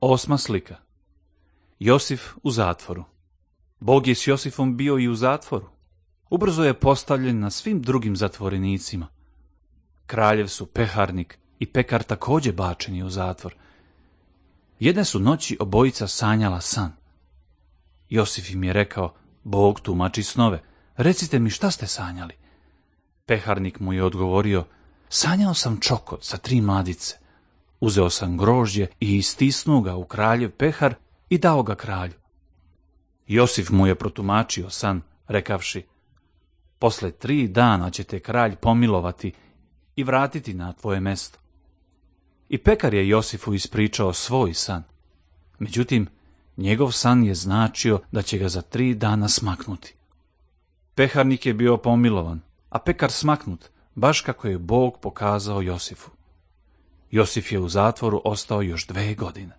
Osma slika. Josif u zatvoru. Bog je s Josifom bio i u zatvoru. Ubrzo je postavljen na svim drugim zatvorenicima. Kraljev su peharnik i pekar također bačeni u zatvor. Jedne su noći obojica sanjala san. Josif im je rekao: Bog tumači snove, recite mi šta ste sanjali. Peharnik mu je odgovorio: sanjao sam čokot sa 3 mladice. Uzeo sam grožđe i istisnuo ga u kraljev pehar i dao ga kralju. Josif mu je protumačio san, rekavši: posle 3 dana će te kralj pomilovati i vratiti na tvoje mesto. I pekar je Josifu ispričao svoj san. Međutim, njegov san je značio da će ga za 3 dana smaknuti. Peharnik je bio pomilovan, a pekar smaknut, baš kako je Bog pokazao Josifu. Josif je u zatvoru ostao još 2 godine.